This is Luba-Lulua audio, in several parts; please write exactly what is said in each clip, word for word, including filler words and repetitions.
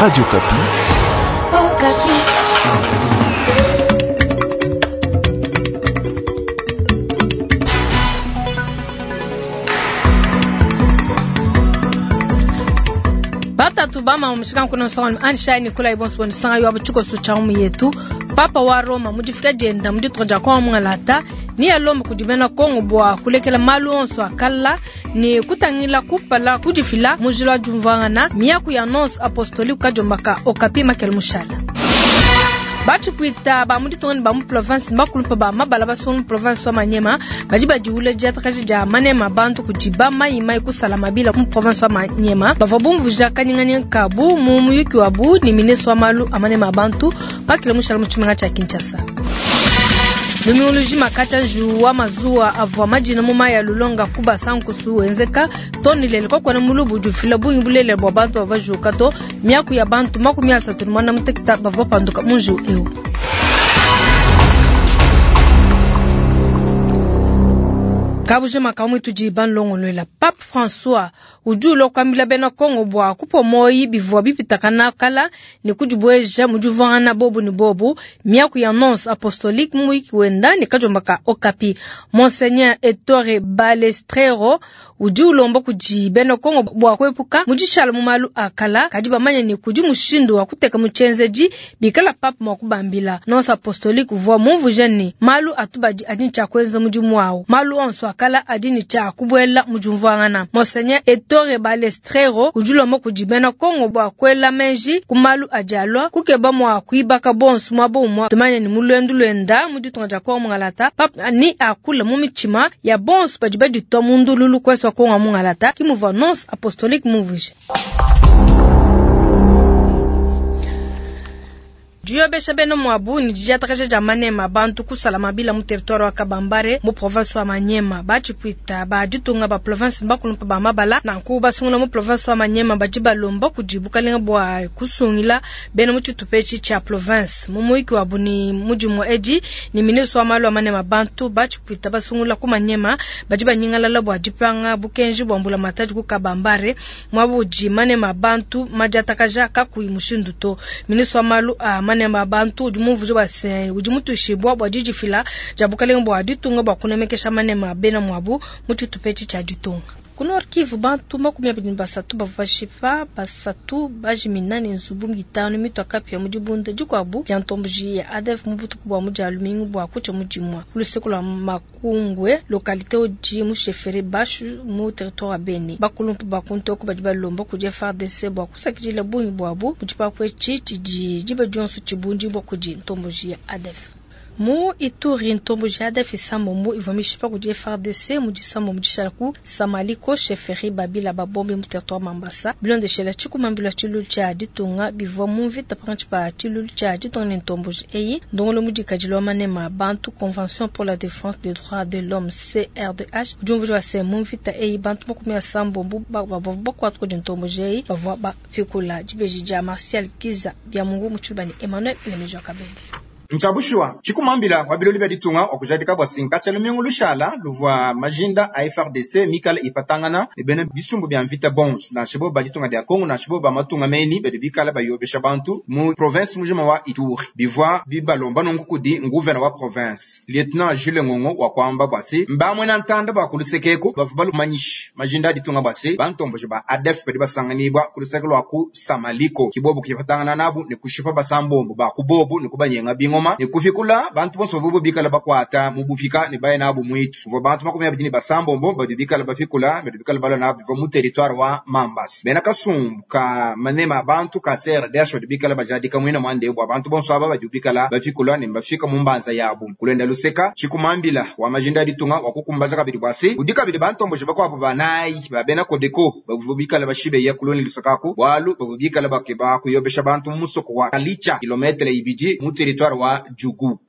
Radio Okapi. Okapi. Batatu bama umshika kuna nsonga anshai Nicolas Ibonso bonisanga yo abuchuko sucha umu yetu Papa wa Roma mudifika jenda muditoja kwa mwangalata ni alomba kudibena Kongo bwa kulekela malu onso akala ni kutangila kupala kudifila mujila jumvangana miaku ya nonce apostolique kajombaka Okapi Makel Mushala. Bachipuita ba muditongani ba mu province bakulumpa ba mabala basonga province wa Manyema badi badiule diatakaji dia manema bantu kudiba mai mai kusala mabila mu province wa Manyema bavua bumvuja kanyinganyinga kabu mu muyuki wabu ni ministre wa malu a manema bantu bakile mushala mu tshimenga tshia Kinshasa. Numioloji makacha njuwa mazuwa avua majina mu maya lulonga kuba sankusu wenzeka toni lele kokwana mulubu jufila bungi bulele bwa bantu bavajuka to miaku ya bantu makumi asatu mwana mutekita bavua panduka munju eu. Kabuje makamwe tudi banlongolwela Pape François udi ulokwambila bena Kongo bwa kupo moyi bivua bipitakana kala ni kudibweja mudivangana bobu ni bobu miaku ya nonce apostolique muyiki wenda ni kajombaka Okapi. Monseigneur Ettore Balestrero udi ulomba kudi bena Kongo bwa kwepuka mudishala mu malu akala kadi bamanya ni kudi mushindu wa kuteka muchenzeji bikala pape mwa kubambila. Nonce apostolique uvua mumvuja ni malu atubadi adi ncha kwenza mudimu wawo malu onso akala adi ni cha kubwela mujumvangana. Monseigneur Ettore Balestrero udi ulomba kudi bena Kongo bwa kwela menji ku malu ajalwa kukeba mwa kuibaka bonso mwa bomwa tumanya ni mulwendu lwenda muditunga dia Kongo mungalata pape ni akula mu michima ya bonso badi baditwa mundululu kwesa Kongo mungalata kimuva nonce apostolique mumvuje. Diyobesha beno mwabu ni didiatakaja dia manema bantu kusala mabila mu territoire wa Kabambare mu province wa Manyema bachipuita ba ditunga ba province bakulumpa ba mabala nanku basungula mu province wa Manyema badi balomba kudi bukalenga bwa kusungila beno mu tshitupa cha province mu muyiki wabu ni mudimu edi ni ministre wa malu a manema bantu bachipuita basungula ku Manyema badi banyingalala bwa dipanga bukenji bwa mbula matadi ku Kabambare mwabu di manema bantu madiatakaja kakuyi mushindu to ministre wa malu a manema bantu udi mumvuja bwa se udi mutushibwa bwa didifila dia bukalenga bwa ditunga bwa kunemekesha manema bena mwabu mu tshitupa tshia ditunga. Ku Nord Kivu bantu makumi abidi ne basatu bavua bashipa basatu bajimina ne nzubu mitanu mitwa kapia mu dibunda dikuabu dia ntomboji ya A D F mu butuku bua mu dia lumingu bua kutshia mu dimua ku luseke lua Makungwe localité udi mu chefferie Bashu mu territoire wa Beni. Bakulumpu ba kuntoko badi balomba kudi F A R D C bua kusakidila bungi buabu mu tshipapu etshi tshidi diba dionso tshibundi bua kudi ntomboji ya A D F. Mu Ituri ntomboji ya A D F isambombo ivua mishipa kudi F A R D C mu disambo mu dishala ku Samaliko chefferie Babila babombe mu territoire Mambasa bilondeshela tshikumambila tshilulu tshia ditunga bivua mu mvita pakantshi pa tshilulu tshia ditunga ne ntomboji eyi ndongolo mudikadile wa manema bantu Convention pour la défense des droits de l'homme C R D H udi umvuija se mu mvita eyi bantu makumi asambombo bavua bakuata kudi ntomboji eyi bavua bafikula dibeji dia Martial Kiza bya Mungu mu tshilubani Emmanuel Lemejo Kabende. Nchabushwa chikumambila wa biloli bya ditunga wa kujadika bwa sinka tshia lumingu lushala luvua majinda a F R D C mikala ipatangana ne bena bisumbu bya mvita bonso na shibo ba ditunga dia Kongo na shibo ba matunga meni badi bikala bayobesha bantu mu province mujima wa Ituri bivua bibalomba nunku kudi nguvena wa province Lieutenant Jules Ngongo wa kwamba bwasi mbamwe na ntanda ba kulusekeko bavua balumanyishi majinda a ditunga bwasi bantomboje ba A D F badi basanganibwa kuluseke lwa ku Samaliko kibobo kipatangana nabu ne kushipa basambombo ba kubobu ne kubanyenga bingoma ne kufikula bantu bonso bavubo bikala bakwata mu bupika ne baye nabo mwitu kuva bantu makumi abiri ne basambombo badi bikala bafikula badi bikala balwa nabo biva mu territoire wa Mambasa bena kasumbu ka manema bantu ka C R D H badi bikala bajadika mwina mwande bwa bantu bonso aba badi bikala bafikula ne bafika mu mbanza yabo kulenda luseka chikumambila wa majinda aditunga wa kukumbaza kabiri bwasi udi kabiri bantomboje bakwabo banayi ba bena Kodeko bavubo bikala bashibe ya kuloni lusakaku bwalu bavubo bikala bakeba kuyobesha bantu mu musoko wa Kalicha kilometre ibidi mu territoire wa Djugu.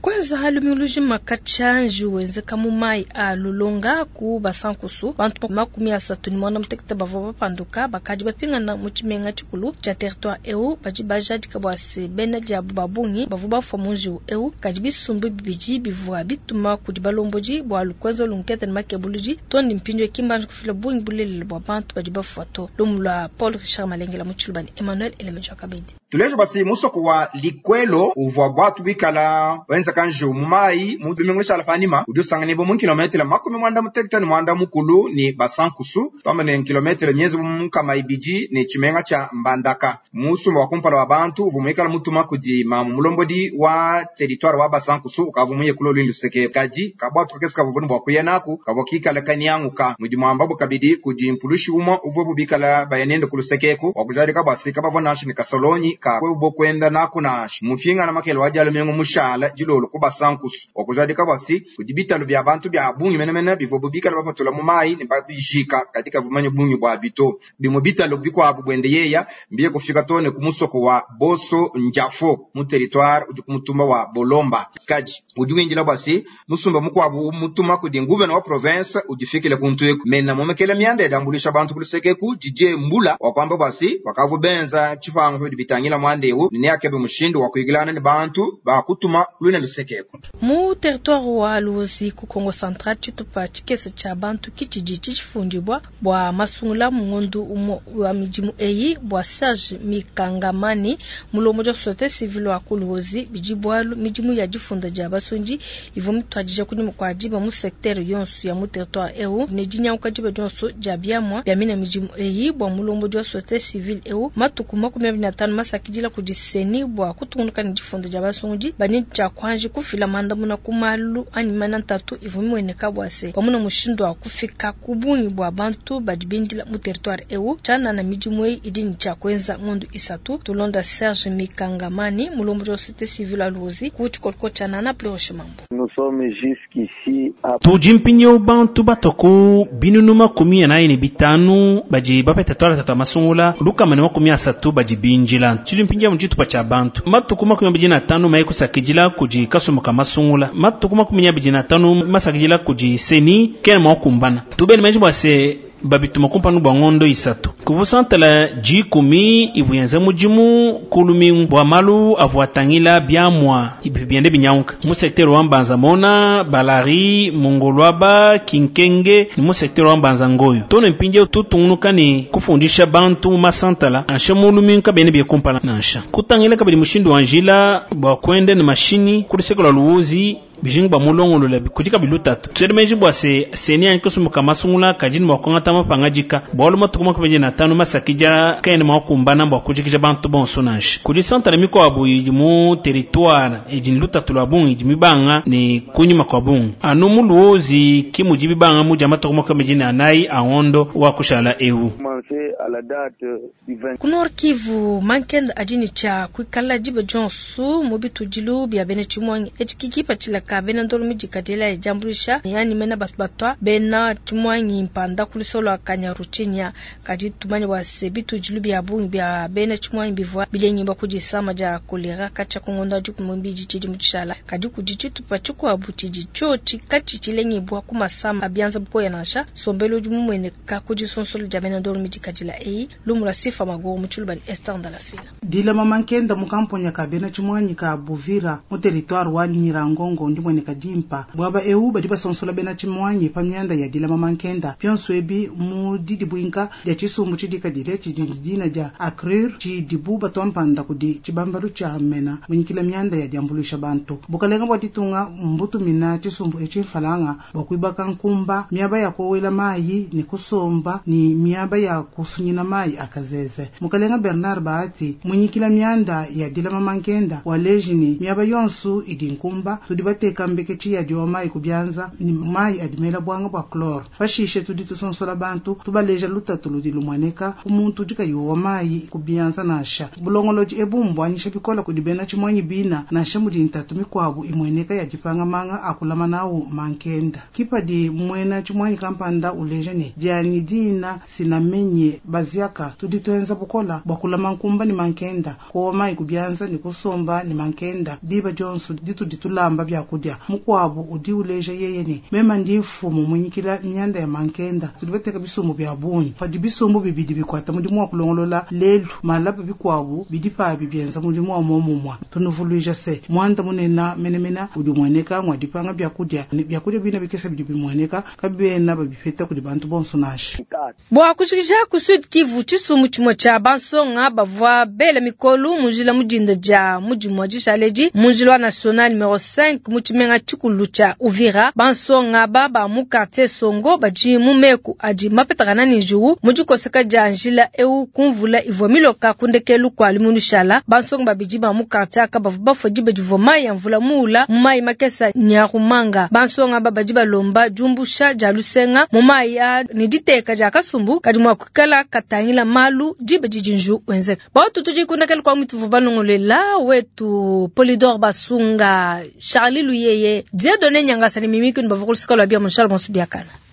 Kwenza Kuenza lumingu lujima katshia njiwu wenzeka mu mayi a Lulonga ku Basankusu, bantu makumi asatu ne muanda mutekete bavua bapanduka bakadi bapingana mu tshimenga tshikulu tshia territoire eu. Badi bajadika bua se bena diabu ba bungi bavua bafua mu njiwu eu, kadi bisumbu bibidi bivua bituma kudi balombodi bua kuenza lunkete ne makebuludi too ne mpindieu ki mbanji kufila bungi bulelela bua bantu badi bafua to. Lumu lua Paul Richard Malengela mu Tshiluba ne Emmanuel Elemeja Kabedi. Tuleje basi musoko wa Likwelo uvua bwatu bikala wenza kanjiwu mu mayi mu lumingu lushala panima udi usanganibwa mu kilometele makumi mwanda mutekete ne mwanda mukulu ne Basankusu, twamba ne kilometele miezi mu nkama ibidi ne tshimenga tshia Mbandaka. Musumba wa kumpala wa bantu uvua muikala mutuma kudi mamu mulombodi wa territoire wa Basankusu ukavua muye kulo lwindu luseke, kadi kabwatu kakese kavua ne bua kuya naku kavua kikala kanyanguka. Mudi muambabu kabidi kudi mpulushi umwe uvua bubikala bayanende ku lusekeku wa kujadika bua se kabavua nansha ne kasolonyi ka kwebo kwenda naku nansha mupingana makele wa dialumingu mushala dilolo ku Basankusu wa kujadika bua se kudi bitalu bia bantu bia bungi menemene bivua bubikala bapatula mu mayi ne babijika kadi kavumanya bungi bua bito. Bimue bitalu bikuabu bwende yeya mbiye kufika too ne ku musoko wa Boso Njafo mu territoire udi ku mutumba wa Bolomba. Kadi udi windila bua se musumba mukuabu mutuma kudi nguvena wa province udifikile kuntu eku mena momekele mianda yadambulisha bantu ku lusekeku Didier Mbula wa kwamba bua se wakavu benza tshipangu bidi bitangila mwanda eu ne akebe mushindu wa kuigilana ne bantu ba kutuma lwina lusekeku. Mu territoire wa Luozi ku Kongo Central, tshitupa tshikese tshia bantu kitshidi tshifundibwa bua masungula mu ngondu umue wa midimu eyi bua Serge Mikangamani mulombodi wa société civile wa ku Luozi bidi bualu midimu ya difunda dia basundi ivua mituadija kunyima kua diba mu secteur yonso ya mu territoire eu ne dinyanguka diba dionso dia biamua bia mina midimu eyi bua mulombodi wa société civile eu matuku makumi abidi na atanu masakidila kudi seni bua kutungunuka ne difunda dia basungudi bani tshia kuanji kufila mandamuna ku malu anyi mana ntatu ivua mimueneka bua se pamuna mushindu wa kufika ku bungi bua bantu badi bindila mu territoire eu tshianana midimu eyi idi ne tshia kuenza ngondu isatu. Tulonda Serge Mikangamani mulombodi wa société civile wa Luozi ku tshikoloko tshia Nana Pleuche Mambo. Nous sommes jusqu'ici à Tudi mpindieu bantu batoko binunu makumi anayi ne bitanu badi bapeta twala tatu masungula lukama ne makumi asatu badi binjila. Tudi mpindieu mu tshitupa tshia bantu matuku makumi abidi na atanu maye kusakidila kudi kasumbu ka masungula matuku makumi abidi na atanu masakidila kudi seni kena mua kukumbana. Tubene menji bua se babituma kumpanu bua ngondo isatu kuvusantala dikumi ivuyenza mudimu ku lumingu bua malu avua atangila biamua ibi biende binyanguka mu secteur wa Mbanza Mona Balari Mongolwaba Kinkenge ni mu secteur wa Mbanza Ngoyo tone mpindieu tutungunuka ne kufundisha bantu mu masantala nansha mu lumingu kabene bie kumpala nansha kutangila kabidi mushindu wa njila bua kuenda ne mashini ku luseke lua Luozi bijingu ba mulongolola kudi kabidi lutatu. Tuele menji bua se seni anyi kusumbuka masungula kadi ne bua kuangata mapangadika bualu matuku makumi na atanu masakidila kaena mua kukumbana bua kujikija bantu bonso nansha. Kudi santala mikuabu idi mu territoire idi ne lutatu lua bungi idi mibanga ne kunyima kua bungi anu mu Luozi ki mudi bibanga mudi ya matuku makumi na anayi a ngondo wa kushala eu. Commencé à la date du vingt. Ku Nord Kivu, mankenda adi ne tshia kuikala diba dionso mu bitudilu bia bena tshimuangi etshi kikipatshila ka bena ndolo midikadila ya diambuluisha yani mena batu batwa bena tshimuangi mpanda ku lusolo lua Kanyaruchinya. Kadi tumanye bua se bitudilu bia bungi bia bena tshimuangi bivua bilengibua kudi disama dia kolera katshia ku ngondo wa dikumi mbidi tshidi mu tshishala. Kadi kudi tshitupa tshikuabu tshidi tshiotshi katshi tshilengibua ku masama a bianza bukoya nansha sombelo udi mumueneka ku disonsolo dia bena ndolo midikadila eyi. Lumu lua Sifa Maguru mu Tshiluba ne Esther Ndalafina. Dilama mankenda mu kamponya ka bena tshimuangi ka Buvira mu territoire wa Nyiragongo ndimueneka dimpa bwaba eu badi basonsola bena tshimuangi pa mianda ya dilama mankenda bionso ebi mu didibwinka dia tshisumbu tshidikadile tshidi dina dia ACRUR tshidibu batwampanda kudi tshibambalu tshia mena munyikila mianda ya diambuluisha bantu. Bukalenga bua ditunga mbutumina tshisumbu etshi mfalanga bua kuibaka nkumba miaba ya kowela mayi ne kusomba ni miaba ya kusunyina mayi akazeze. Mukalenga Bernard Bahati munyikila mianda ya dilama mankenda waleji ni miaba yonsu idi nkumba tudi bateka mbeketshi ya diwa mayi kubianza ni mayi adimela bwanga bua chlore. Pashishe tudi tusonsola bantu tubaleja lutatu ludi lumwaneka ku muntu udi kayi wa mayi kubianza nansha. Bulongolodi ebu mbwanyisha bikola kudi bena tshimuanyi bina nansha mudi ntatu mikuabu imueneka ya dipanga manga akulama nawu mankenda. Kipadi muena tshimuanyi kampanda uleja ne dianyi dina sinamenye Baziaka tudi tuenza bukola bua kulama nkumba ne mankenda, kowa mayi ku bianza ne kusomba ne mankenda diba dionso ditudi tulamba byakudia. Mukuabu udi uleja yeye ne mema ndi mfumu munyikila myanda ya mankenda, tudi bateka bisumbu bya bungi padi bisumbu bibidi bikwata mudimu wa kulongolola lelu malapa bikuabu bidi pabi bienza mudimu wa momumwa. Tunuvuluija se mwanda munena menemena udi umueneka ngwa dipanga byakudia ne byakudia bina bikesa bidi bimueneka kabiena babipeta kudi bantu bonso nashi. Bua kushikisha ku Sud Kivu tshisumbu tshimue tshia bansonga bavua bela mikolu mu njila mudinda dia mudimu wa dishaledi mu njila wa national numero cinq mu tshimenga tshikulu tshia Uvira. Bansonga ba ba mu quartier Songo badi mu meku adi mapetakana ne njiwu mu dikoseka dia njila eu kumvula ivua miloka kundekelu kua limunishala. Bansonga babidi ba mu quartier aka bavua bafua diba divua mayi ya mvula muula mu mayi makesa nyarumanga. Bansonga ba badi balomba diumbusha dia lusenga mu mayi a ne diteka dia kasumbu kadi mua kuikala katangila malu diba didi nju wenzeka. Bautu tudi kundekelu kwa mutu balongolela wetu Polidor Basunga Charlie Luyeye Dieudonné Nyangasa ne Mimi Kunu bavua kulusika lua bia Munshala Bonso biakana.